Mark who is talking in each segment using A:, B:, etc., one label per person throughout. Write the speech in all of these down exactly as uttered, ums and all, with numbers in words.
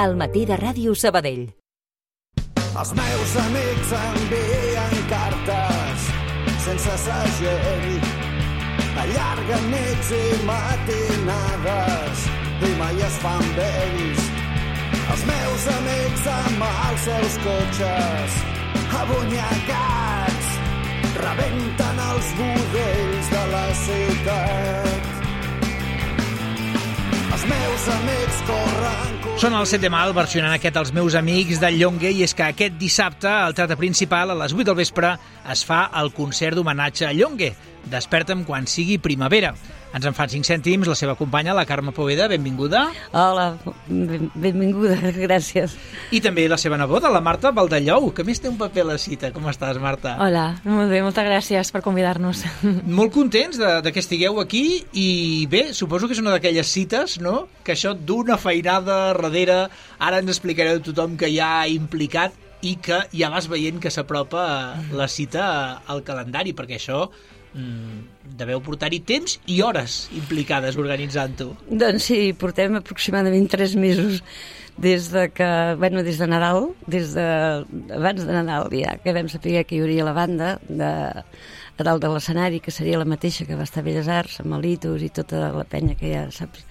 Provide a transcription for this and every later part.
A: Al matí de Ràdio Sabadell.
B: Els meus amics envien cartes sense segell, allarguen nits i matinades i mai es fan vells. Els meus amics amb els seus cotxes abonyegats rebenten els budells de la ciutat. Els meus amics corren...
C: Són el set de mal versionant aquest Els meus amics del Llongue, i és que aquest dissabte al Teatre Principal a les vuit del vespre es fa el concert d'homenatge a Llongue. Desperta'm quan sigui primavera. Ens en fan cinc cèntims la seva companya, la Carme Poveda, benvinguda.
D: Hola, ben, benvinguda, gràcies.
C: I també la seva neboda, la Marta Valdellou, que més té un paper a la cita. Com estàs, Marta?
E: Hola, molt bé, moltes gràcies per convidar-nos.
C: Molt contents de, de que estigueu aquí, i bé, suposo que és una d'aquelles cites, no?, que això d'una feinada darrere, ara ens explicareu tothom que hi ha implicat i que ja vas veient que s'apropa la cita al calendari, perquè això... Mm, deveu portar-hi temps i hores implicades organitzant-ho.
D: Doncs sí, portem aproximadament tres mesos des de que, bueno, des de Nadal, des de, abans de Nadal ja, que vam saber que hi hauria la banda de, a dalt de l'escenari, que seria la mateixa que va estar a Belles Arts, amb el Litus i tota la penya que ja saps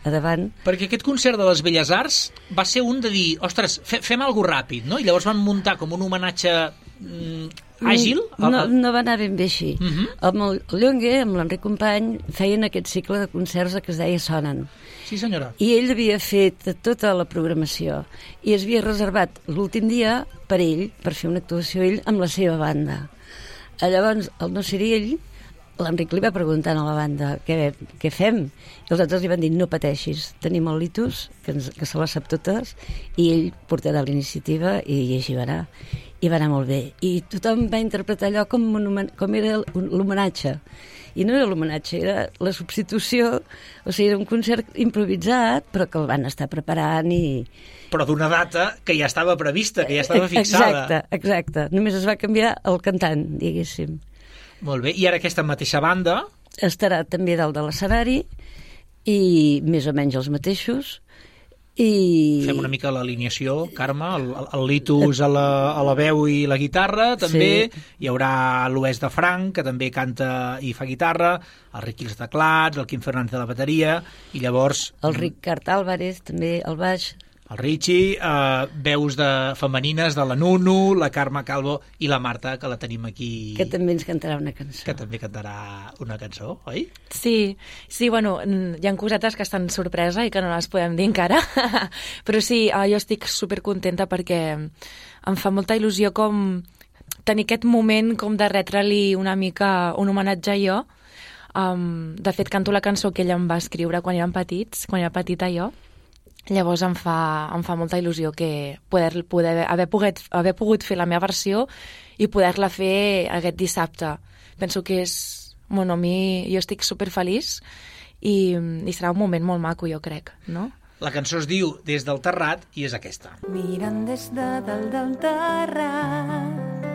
D: a davant.
C: Perquè aquest concert de les Belles Arts va ser un de dir, ostres, fe, fem alguna ràpid, no? I llavors van muntar com un homenatge mm, àgil?
D: No, no va anar ben bé així.
C: Uh -huh.
D: Amb el Llongue, amb l'Enric Company, feien aquest cicle de concerts que es deia Sonen.
C: Sí, senyora.
D: I ell havia fet tota la programació i es havia reservat l'últim dia per ell, per fer una actuació ell amb la seva banda. Llavors, el no ser ell, l'Enric li va preguntant a la banda què, què fem, i els altres li van dir no pateixis, tenim el Litus que, ens, que se les sap totes i ell portarà la iniciativa i així va anar, i va anar molt bé, i tothom va interpretar allò com, un, com era l'homenatge, i no era l'homenatge, era la substitució, o sigui, era un concert improvisat però que el van estar preparant i...
C: Però d'una data que ja estava prevista, que ja estava fixada.
D: Exacte, exacte, només es va canviar el cantant, diguéssim.
C: Molt bé, i ara aquesta mateixa banda...
D: Estarà també dalt de l'escenari i més o menys els mateixos. I...
C: Fem una mica l'alineació, Carme, el, el Litus a la, a la veu i la guitarra, també. Sí. Hi haurà l'Oest de Franc, que també canta i fa guitarra, el Riqui als teclats, el Quim Fernández de la bateria, i llavors...
D: El Ricard Álvarez, també, al baix...
C: El Richie, eh, veus de femenines de la Nunu, la Carme Calvo i la Marta, que la tenim aquí...
D: Que també ens cantarà una cançó.
C: Que també cantarà una cançó, oi?
E: Sí, sí, bueno, hi ha cosetes que estan sorpresa i que no les podem dir encara, però sí, jo estic supercontenta perquè em fa molta il·lusió com tenir aquest moment com de retre-li una mica un homenatge a jo. Um, de fet, canto la cançó que ella em va escriure quan érem petits, quan era petita jo. Llavors em fa, em fa molta il·lusió que poder, poder haver, pogut, haver pogut fer la meva versió i poder-la fer aquest dissabte. Penso que és... Bueno, a mi jo estic superfeliç i, i serà un moment molt maco, jo crec, no?
C: La cançó es diu Des del Terrat i és aquesta.
F: Mirant des de dalt del terrat,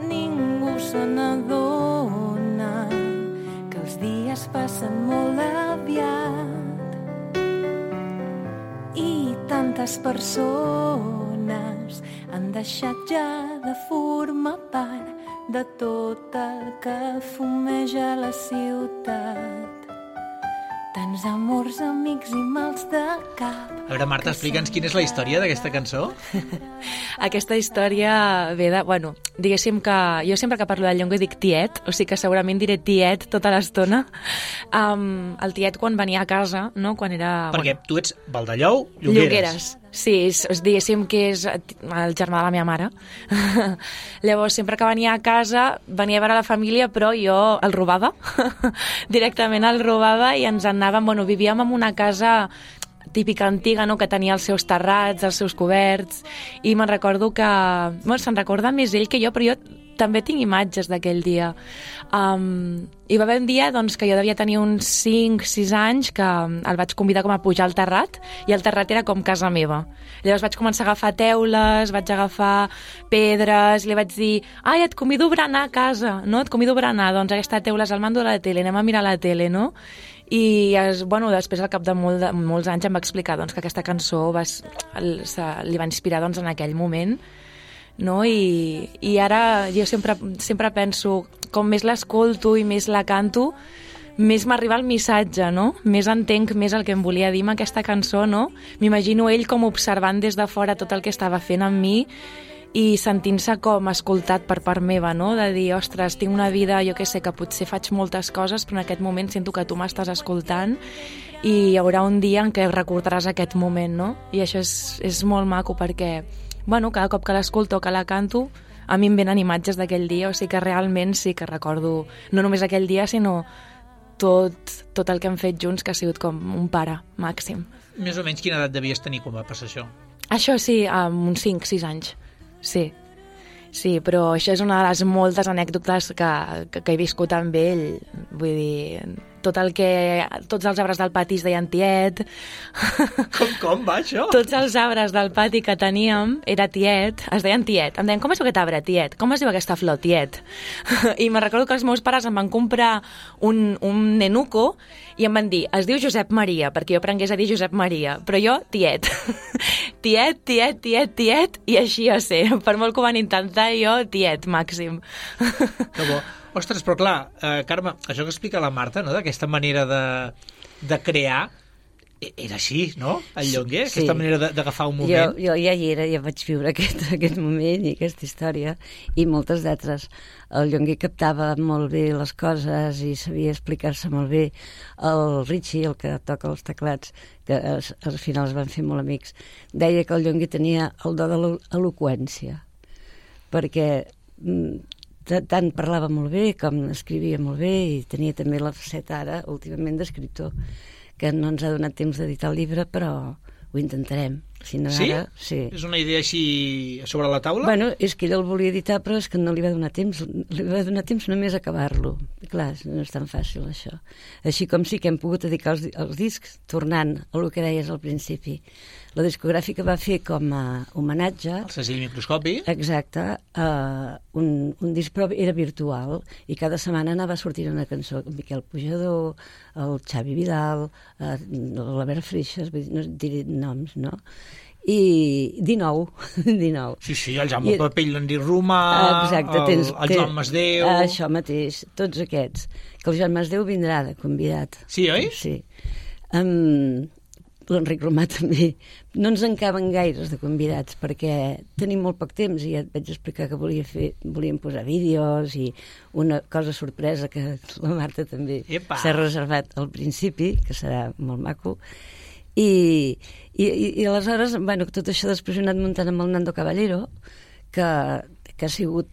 F: ningú se n'adona que els dies passen molt aviat i tantes persones han deixat ja de formar part de tot el que fumeja la ciutat. Tants amors, amics i mals de cap.
C: A veure, Marta, explica'ns quina és la història d'aquesta cançó.
E: Aquesta història ve de... Bueno, diguéssim que jo sempre que parlo del Llongue dic tiet, o sigui que segurament diré tiet tota l'estona. Um, el tiet quan venia a casa, no?, quan era...
C: Perquè bueno, tu ets Valdellou, Llongueres.
E: Llongueres. Sí, és, diguéssim que és el germà de la meva mare. Llavors, sempre que venia a casa, venia a veure la família, però jo el robava. Directament el robava i ens anàvem... Bueno, vivíem en una casa típica antiga, no?, que tenia els seus terrats, els seus coberts, i me'n recordo que... Bueno, se'n recorda més ell que jo, però jo també tinc imatges d'aquell dia. Um, hi va haver un dia doncs, que jo devia tenir uns cinc sis anys que el vaig convidar com a pujar al terrat i el terrat era com casa meva. Llavors vaig començar a agafar teules, vaig agafar pedres, li vaig dir ai, et convido a berenar a casa, no? Et convido a berenar, doncs aquesta teula és al mando de la tele, anem a mirar la tele, no? I es, bueno, després, al cap de, molt de molts anys, em va explicar doncs, que aquesta cançó va, el, se, li va inspirar doncs, en aquell moment, no? I, i ara jo sempre, sempre penso, com més l'escolto i més la canto, més m'arriba el missatge, no? Més entenc més el que em volia dir amb aquesta cançó, no? M'imagino ell com observant des de fora tot el que estava fent amb mi i sentint-se com escoltat per part meva, no? De dir, ostres, tinc una vida, jo que sé, que potser faig moltes coses, però en aquest moment sento que tu m'estàs escoltant i hi haurà un dia en què recordaràs aquest moment, no? I això és, és molt maco perquè, bueno, cada cop que l'escolto o que la canto, a mi em venen imatges d'aquell dia, o sigui que realment sí que recordo no només aquell dia, sinó tot, tot el que hem fet junts, que ha sigut com un pare màxim.
C: Més o menys quina edat devies tenir quan va passar això?
E: Això sí, amb uns cinc sis anys. Sí, sí, però això és una de les moltes anècdotes que, que, que he viscut amb ell. Vull dir, tot el que... Tots els arbres del pati es deien tiet.
C: Com, com va això?
E: Tots els arbres del pati que teníem era tiet, es deien tiet. Em deien, com es diu aquest arbre? Tiet. Com es diu aquesta flor? Tiet. I me'n recordo que els meus pares em van comprar un, un nenuco i em van dir, es diu Josep Maria, perquè jo aprengués a dir Josep Maria, però jo, tiet. Tiet, tiet, tiet, tiet, i així a ser. Per molt que ho van intentar, jo, tiet, màxim.
C: Que bo. Ostres, però clar, eh, Carme, això que explica la Marta, no?, d'aquesta manera de, de crear, era així, no?, el Llonguer, sí. Aquesta manera d'agafar un moment.
D: Jo, jo ja hi era, ja vaig viure aquest, aquest moment i aquesta història, i moltes d'altres. El Llonguer captava molt bé les coses i sabia explicar-se molt bé. El Richie, el que toca els teclats, que es, al final es van fer molt amics, deia que el Llonguer tenia el do de l'eloqüència, perquè tant parlava molt bé com escrivia molt bé i tenia també la faceta ara, últimament, d'escriptor, que no ens ha donat temps d'editar el llibre, però ho intentarem. Si no,
C: sí?
D: Ara, sí?
C: És una idea així sobre la taula?
D: Bueno, és que ell el volia editar, però és que no li va donar temps. Li va donar temps només a acabar-lo. Clar, no és tan fàcil, això. Així com sí que hem pogut dedicar els, els discs, tornant a el que deies al principi. La discogràfica va fer com a homenatge...
C: El segell Microscopi.
D: Exacte. Uh, un, un disc, però era virtual, i cada setmana anava sortint una cançó. Miquel Pujador, el Xavi Vidal, uh, l'Albert Freixas, no diré noms, no? I dinou, dinou.
C: Sí, sí, el Jaume I... Papell, l'Andy Romà,
D: exacte,
C: el,
D: tens,
C: el Joan Masdeu...
D: Això mateix, tots aquests. Que el Joan Masdeu vindrà de convidat.
C: Sí, oi?
D: Sí. Um, L'Enric Romà també. No ens en caben gaires de convidats perquè tenim molt poc temps i ja et vaig explicar que volia fer, volíem posar vídeos i una cosa sorpresa que la Marta també s'ha reservat al principi, que serà molt maco. I, i, i aleshores, bueno, tot això després ho he anat muntant amb el Nando Caballero, que, que ha sigut,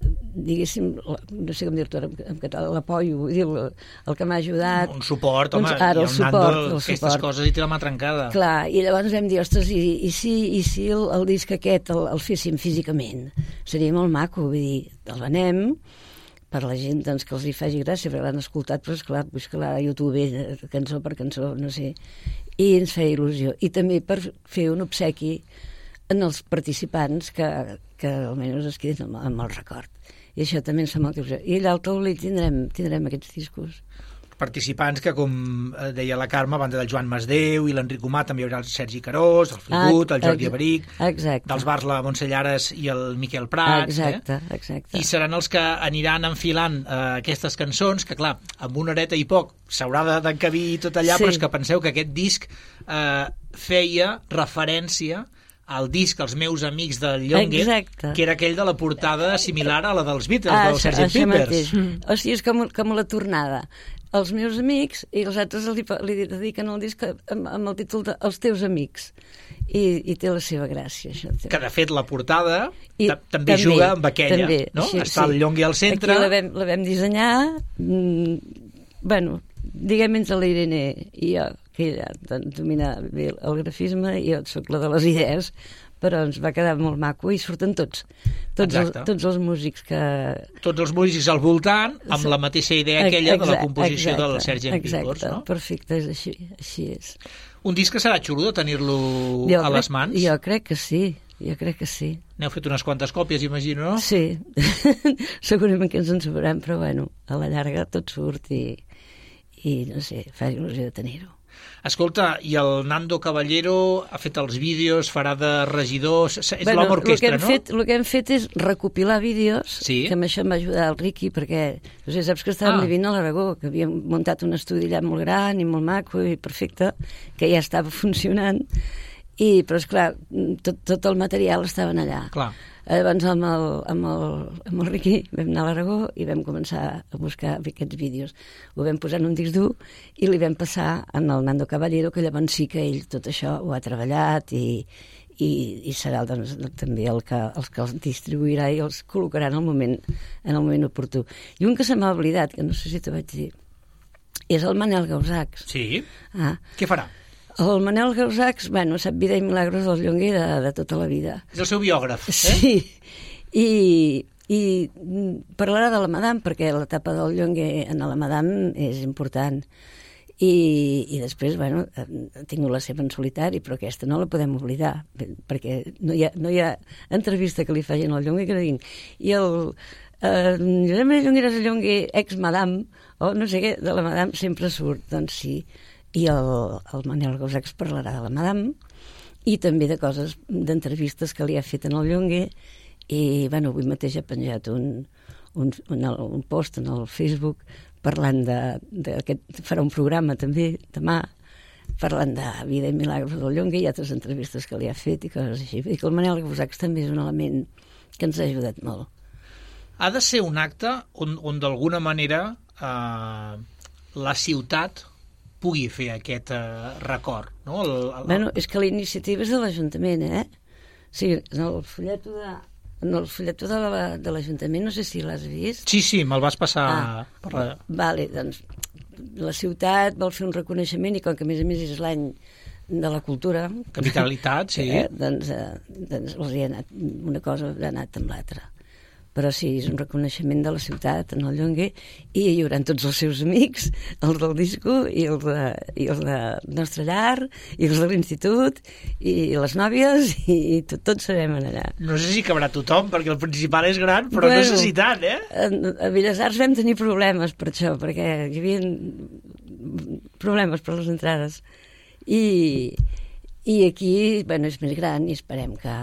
D: diguéssim, no sé com dir-ho en català, l'apoio, vull dir, el, el que m'ha ajudat.
C: Un suport, home,
D: doncs, ara,
C: i el, el
D: suport,
C: Nando
D: el
C: aquestes
D: suport.
C: coses i té la mà trencada.
D: Clar, i llavors vam dir, ostres, i, i si, i si el, el disc aquest el, el féssim físicament? Seria molt maco, vull dir, el venem, per la gent doncs, que els hi faci gràcia, perquè l'han escoltat, però esclar, busca-la a YouTube, cançó per cançó, no sé, i ens feia il·lusió. I també per fer un obsequi en els participants que, que almenys es quedin amb, amb el record. I això també ens fa molta il·lusió. I allà al taulell tindrem, tindrem aquests discos.
C: Participants que, com deia la Carme, a banda del Joan Masdeu i l'Enric Romà, també hi haurà el Sergi Carós, el Fligut, ah, el Jordi Aberic, dels bars la Montse Llares i el Miquel Prats.
D: Exacte,
C: eh?
D: exacte.
C: I seran els que aniran enfilant eh, aquestes cançons, que clar, amb una horeta i poc s'haurà d'encabir tot allà, sí. Però és que penseu que aquest disc eh, feia referència al disc Els meus amics del Llonguer,
D: exacte.
C: Que era aquell de la portada similar a la dels Beatles,
D: ah,
C: del sergent Pepper's.
D: Mm. O sigui, és com, com la tornada. Els meus amics i els altres li, li dediquen el disc amb, amb el títol de Els teus amics. I, i té la seva gràcia, això.
C: Que, de fet, la portada
D: I,
C: també, també juga amb aquella,
D: també,
C: no?
D: Així,
C: Està sí. El Llonguer al centre.
D: Aquí la vam, la vam dissenyar, mm, bueno, diguem entre la Irene i jo, que ella doncs, domina bé el grafisme i jo soc la de les idees, però ens va quedar molt maco i surten tots, tots, els, tots els músics que...
C: Tots els músics al voltant, amb la mateixa idea aquella exacte, de la composició exacte, del sergent Pepper's, no?
D: Perfecte, és així, així és.
C: Un disc que serà xulo de tenir-lo a les mans?
D: Jo crec que sí, jo crec que sí.
C: N'heu fet unes quantes còpies, imagino, no?
D: Sí, segurament que ens en sobraran, però bueno, a la llarga tot surt i, i no sé, fa il·lusió de tenir-ho.
C: Escolta, i el Nando Caballero ha fet els vídeos, farà de regidors... És
D: bueno,
C: l'home orquestra,
D: no?
C: fet,
D: el que hem fet és recopilar vídeos,
C: sí.
D: que amb això em va ajudar el Riqui, perquè no sé, saps que estàvem ah. vivint a l'Aragó, que havíem muntat un estudi allà molt gran i molt maco i perfecte, que ja estava funcionant, i, però esclar, tot, tot el material estava allà.
C: Clar.
D: Llavors amb el, amb, el, amb el Riqui vam anar a l'Aragó i vam començar a buscar aquests vídeos. Ho vam posar en un disc dur i li vam passar en el Nando Caballero, que llavors sí que ell tot això ho ha treballat i, i, i serà doncs, també el que, els que els distribuirà i els col·locarà en el moment, en el moment oportú. I un que se m'ha oblidat, que no sé si t'ho vaig dir, és el Manel Gausacs.
C: Sí?
D: Ah.
C: Què farà?
D: El Manel Gausacs, bueno, sap vida i milagros del Llonguer de, de tota la vida.
C: És el seu biògraf, eh?
D: Sí, i, i parlarà de la Madame, perquè l'etapa del Llonguer en la Madame és important. I, i després, bueno, ha tingut la seva en solitari, però aquesta no la podem oblidar, perquè no hi ha, no hi ha entrevista que li facin al Llonguer que no diguin. I el eh, Josep Maria Llongueras Llonguer, ex-Madame, o no sé què, de la Madame sempre surt, doncs sí. I el, el Manel Gausacs parlarà de la Madame i també de coses, d'entrevistes que li ha fet en el Llonguer i, bueno, avui mateix ha penjat un, un, un, un post en el Facebook parlant de, de aquest, farà un programa també demà parlant de vida i milagros del Llonguer i altres entrevistes que li ha fet i coses així. Vull dir que el Manel Gausacs també és un element que ens ha ajudat molt.
C: Ha de ser un acte on, on d'alguna manera eh, la ciutat pugui fer aquest uh, record, no? El, el...
D: Bueno, és que la iniciativa és de l'Ajuntament, eh? O sigui, en el folleto de, en el folleto de, la, de l'Ajuntament, no sé si l'has vist.
C: Sí, sí, me'l vas passar
D: ah,
C: per la...
D: Vale, doncs la ciutat vol fer un reconeixement i com que a més a més és l'any de la cultura...
C: Capitalitat, sí.
D: Eh, doncs, eh, doncs els hi ha anat, una cosa ha anat amb l'altra. Però sí, és un reconeixement de la ciutat en el Llonguer i hi haurà tots els seus amics, els del disco i els de, i els de Nostra Llar i els de l'institut i les nòvies i, i tot, tots serem allà.
C: No sé si cabrà tothom, perquè el principal és gran, però bueno, no sé si tant, eh?
D: A, a Belles Arts vam tenir problemes per això, perquè hi havia problemes per les entrades. I, i aquí, bueno, és més gran i esperem que...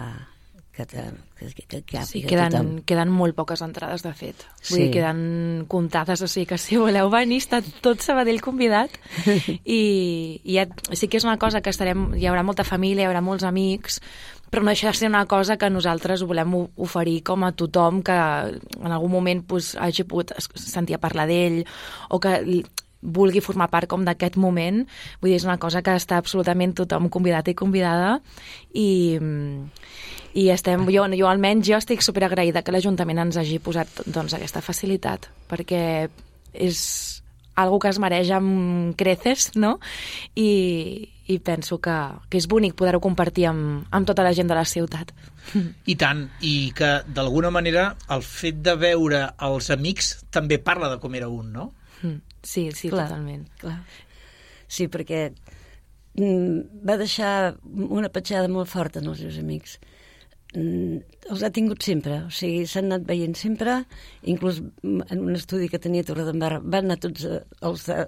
D: que, que, que, que
E: sí, queden, queden molt poques entrades, de fet. Vull sí. dir, queden comptades, o sigui que si voleu venir, està tot Sabadell convidat. I, i ja, sí que és una cosa que estarem, hi haurà molta família, hi haurà molts amics, però no deixa de ser una cosa que nosaltres volem oferir com a tothom que en algun moment pues, hagi pogut sentir a parlar d'ell o que vulgui formar part com d'aquest moment. Vull dir, és una cosa que està absolutament tothom convidat i convidada i, i estem, jo, jo almenys jo estic superagraïda que l'Ajuntament ens hagi posat doncs, aquesta facilitat, perquè és algo que es mereix amb creces, no? I, i penso que, que és bonic poder-ho compartir amb, amb tota la gent de la ciutat.
C: I tant, i que d'alguna manera el fet de veure els amics també parla de com era un, no?
E: Sí, sí, clar, totalment.
D: Clar. Sí, perquè mm, va deixar una petjada molt forta en els seus amics. Mm, els ha tingut sempre, o sigui, s'han anat veient sempre, inclús en un estudi que tenia a Torredembarra van anar tots els de,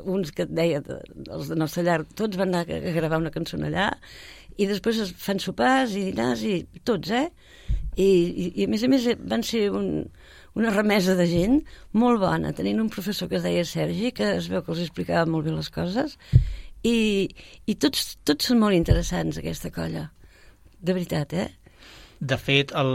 D: uns que et deia, els de Nostra Llar, tots van anar a gravar una cançó allà i després es fan sopars i dinars i tots, eh? I, i, i a més a més van ser un una remesa de gent molt bona, tenint un professor que es deia Sergi, que es veu que els explicava molt bé les coses, i, i tots, tots són molt interessants, aquesta colla. De veritat, eh?
C: De fet, el,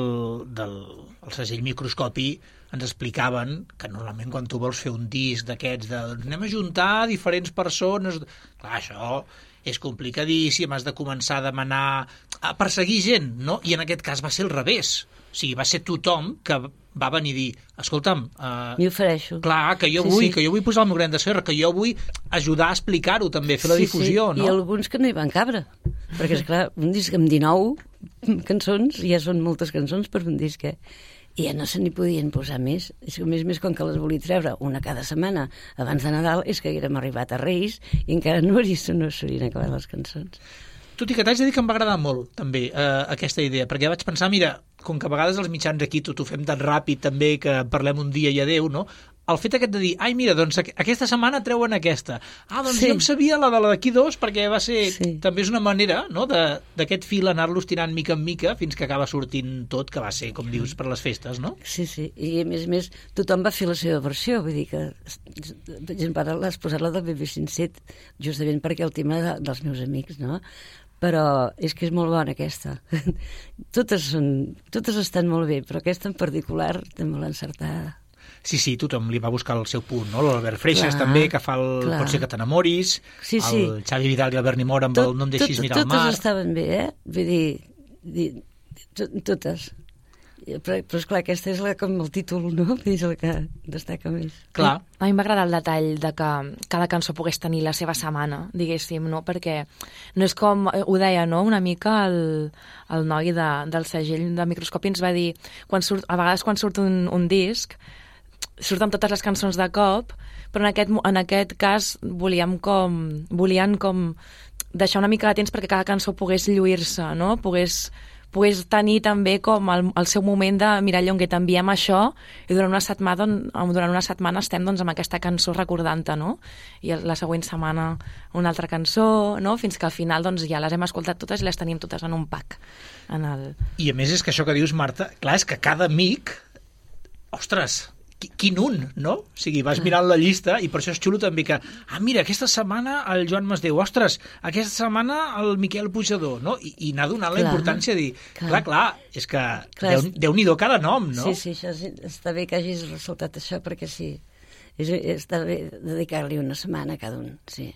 C: del, el segell Microscopi ens explicaven que normalment quan tu vols fer un disc d'aquests de anem a juntar diferents persones... Clar, això és complicadíssim, has de començar a demanar... a perseguir gent, no? I en aquest cas va ser al revés. O sigui, va ser tothom que va venir a dir, escolta'm... Uh,
D: M'hi ofereixo.
C: Clar, que jo
D: sí,
C: vull,
D: sí.
C: que jo vull posar el meu gran de serra, que jo vull ajudar a explicar-ho també, fer la
D: sí,
C: difusió,
D: sí.
C: no?
D: I alguns que no hi van cabre, perquè, esclar, un disc amb dinou cançons, ja són moltes cançons per un disc, eh? I ja no se n'hi podien posar més. És que, a més a més, com que les volia treure una cada setmana abans de Nadal, és que haguérem arribat a Reis i encara no s'haurien acabat les cançons.
C: Tot i que t'haig de dir que em va agradar molt, també, eh, aquesta idea, perquè vaig pensar, mira, com que a vegades els mitjans aquí tot ho fem tan ràpid també que parlem un dia i adeu, no? el fet aquest de dir, ai, mira, doncs aquesta setmana treuen aquesta. Ah, doncs
D: Sí.
C: jo em sabia la de la d'aquí dos, perquè va ser...
D: Sí.
C: També és una manera, no?, de- d'aquest fil anar-los tirant mica en mica fins que acaba sortint tot, que va ser, com dius, per les festes, no?
D: Sí, sí, i a més a més tothom va fer la seva versió, vull dir que per exemple, ara l'has posat la del B B cinc set justament perquè el tema de, dels meus amics, no? Però és que és molt bona aquesta. totes, són, totes estan molt bé, però aquesta en particular està molt encertada.
C: Sí, sí, tothom li va buscar el seu punt, no? L'Albert Freixas
D: Clar,
C: també, que fa el
D: clar.
C: Pot ser que t'enamoris,
D: Sí, sí.
C: el Xavi Vidal i el Berni Mora amb el No em deixis mirar el mar.
D: Totes estaven bé, eh? Vull dir, dir to, totes. Però, però esclar, aquesta és la, com el títol, no? Vull dir, és el que destaca més.
C: Clar.
E: A mi m'agrada el detall de que cada cançó pogués tenir la seva setmana, diguéssim, no? Perquè no és com, ho deia, no? Una mica el, el noi de, del segell de Microscopi ens va dir, quan surt, a vegades quan surt un, un disc, surten totes les cançons de cop, però en aquest, en aquest cas volíem com, volien com deixar una mica de temps perquè cada cançó pogués lluir-se, no? Pogués, pogués tenir també com el, el seu moment de mirar, Llonguer, t'enviem això i durant una setmana, durant una setmana estem doncs, amb aquesta cançó recordant-te, no? I la següent setmana una altra cançó, no? Fins que al final doncs, ja les hem escoltat totes i les tenim totes en un pack. En el...
C: I a més és que això que dius, Marta, clar, és que cada amic, ostres, quin un, no? O sigui, vas mirant la llista i per això és xulo també que, ah, mira, aquesta setmana el Joan Masdeu, ostres, aquesta setmana el Miquel Pujador, no? I, i anar donant la
D: Clar,
C: importància de dir, clar, clar, clar és que
D: Clar,
C: Déu, Déu-n'hi-do cada nom, no?
D: Sí, sí, això és, està bé que hagis ressaltat això, perquè sí, és, està bé dedicar-li una setmana a cada un, sí.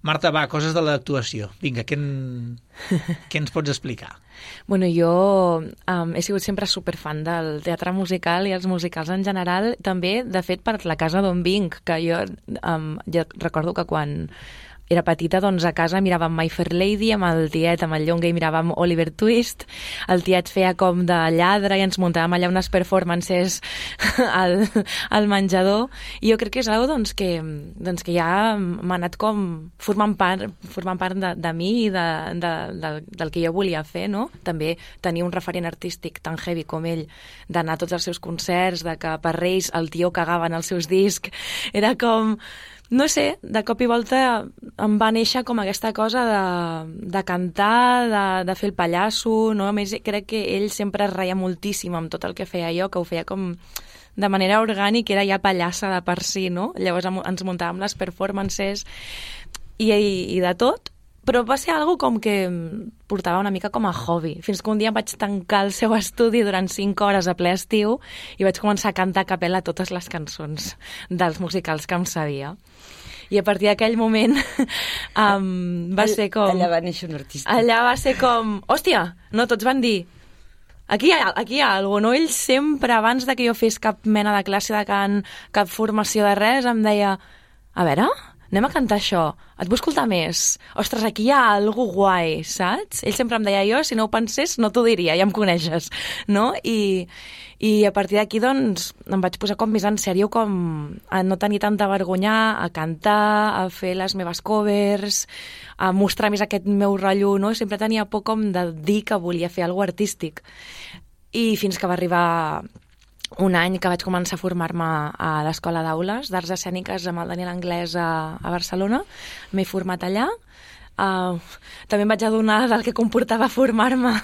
C: Marta, va, coses de l'actuació. Vinga, què, en... què ens pots explicar?
E: Bueno, jo um, he sigut sempre superfan del teatre musical i els musicals en general, també, de fet, per la casa d'on vinc, que jo, um, jo recordo que quan era petita, doncs a casa miràvem My Fair Lady amb el tiet, amb el Llonguer, i miràvem Oliver Twist. El tiet feia com de lladre i ens muntàvem allà unes performances al, al menjador. I jo crec que és una cosa doncs, que, doncs, que ja m'ha anat com formant part, formant part de, de mi i de, de, de, del que jo volia fer, no? També tenir un referent artístic tan heavy com ell, d'anar a tots els seus concerts, de que per Reis el tio cagava en els seus discs. Era com... No sé, de cop i volta em va néixer com aquesta cosa de, de cantar, de, de fer el pallasso, no? A més, crec que ell sempre es reia moltíssim amb tot el que feia jo, que ho feia com de manera orgànica, era ja pallassa de per si, no? Llavors ens muntàvem les performances i, i, i de tot, però va ser algo com que portava una mica com a hobby, fins que un dia em vaig tancar el seu estudi durant cinc hores a ple estiu i vaig començar a cantar a capella totes les cançons dels musicals que em sabia. I a partir d'aquell moment um, va ser com...
D: Allà va néixer un artista.
E: Allà va ser com, hòstia, no, tots van dir, aquí hi ha, aquí hi ha alguna cosa, no? Ell sempre, abans de que jo fes cap mena de classe de cant, cap formació de res, em deia, a veure, anem a cantar això, et vull escoltar més. Ostres, aquí hi ha alguna guai, saps? Ell sempre em deia, jo, si no ho pensés, no t'ho diria, ja em coneixes, no? I, i a partir d'aquí, doncs, em vaig posar com més en sèrio, com a no tenir tanta vergonya, a cantar, a fer les meves covers, a mostrar més aquest meu rotllo, no? Sempre tenia por com de dir que volia fer alguna cosa artístic. I fins que va arribar un any que vaig començar a formar-me a l'Escola d'Aules d'Arts Escèniques amb el Daniel Anglès a, a Barcelona. M'he format allà. Uh, també em vaig adonar del que comportava formar-me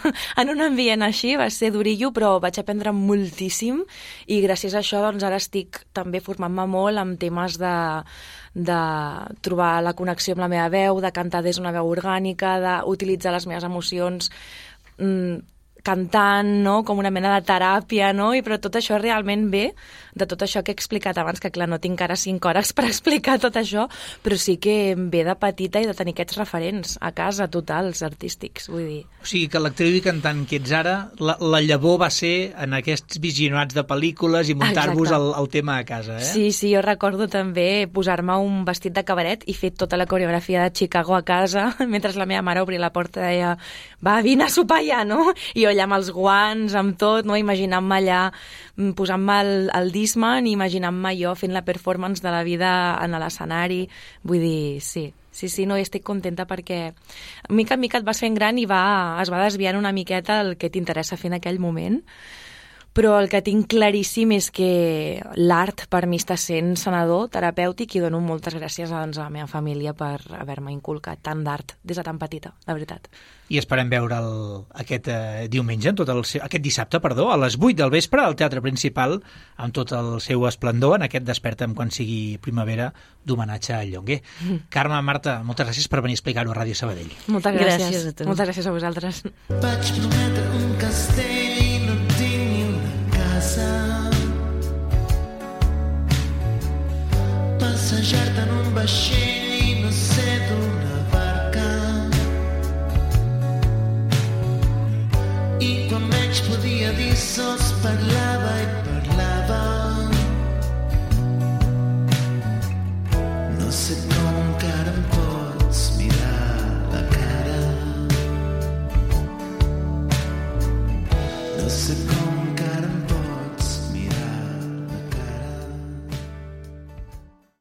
E: en un ambient així, va ser durillo, però vaig aprendre moltíssim i gràcies a això doncs, ara estic també formant-me molt amb temes de, de trobar la connexió amb la meva veu, de cantar des d'una veu orgànica, d'utilitzar les meves emocions mm, cantant, no? Com una mena de teràpia, no? I però tot això realment ve de tot això que he explicat abans, que clar, no tinc ara cinc hores per explicar tot això, però sí que ve de petita i de tenir aquests referents a casa totals, artístics, vull dir.
C: O sigui que l'actriu i cantant que ets ara, la, la llavor va ser en aquests visionats de pel·lícules i muntar-vos el, el tema a casa, eh?
E: Sí, sí, jo recordo també posar-me un vestit de cabaret i fer tota la coreografia de Chicago a casa, mentre la meva mare obria la porta i deia, va, vine a sopar ja, no? I jo allà amb els guants, amb tot, no? Imaginant-me allà, posant-me el, el Discman i imaginant-me jo fent la performance de la vida en l'escenari. Vull dir, sí, sí, sí, no, estic contenta perquè mica en mica et vas fent gran i va, es va desviant una miqueta el que t'interessa fer en aquell moment. però el que tinc claríssim és que l'art per mi està sent sanador, terapèutic, i dono moltes gràcies doncs, a la meva família per haver-me inculcat tant d'art des de tan petita, la veritat.
C: I esperem veure'l aquest eh, diumenge, en tot el seu, aquest dissabte, perdó, a les vuit del vespre al Teatre Principal, amb tot el seu esplendor, en aquest Desperta'm quan sigui primavera, d'homenatge al Llonguer. Mm. Carme, Marta, moltes gràcies per venir a explicar-ho a Ràdio Sabadell.
E: Moltes gràcies.
D: Gràcies a tu.
E: Moltes gràcies a vosaltres.
B: Vaig prometre un castell i no tinc ni una casa. Passejar-te en un vaixell i no sé d'una barca. I quan menys podia dir sols parlava i parlava. No sé com encara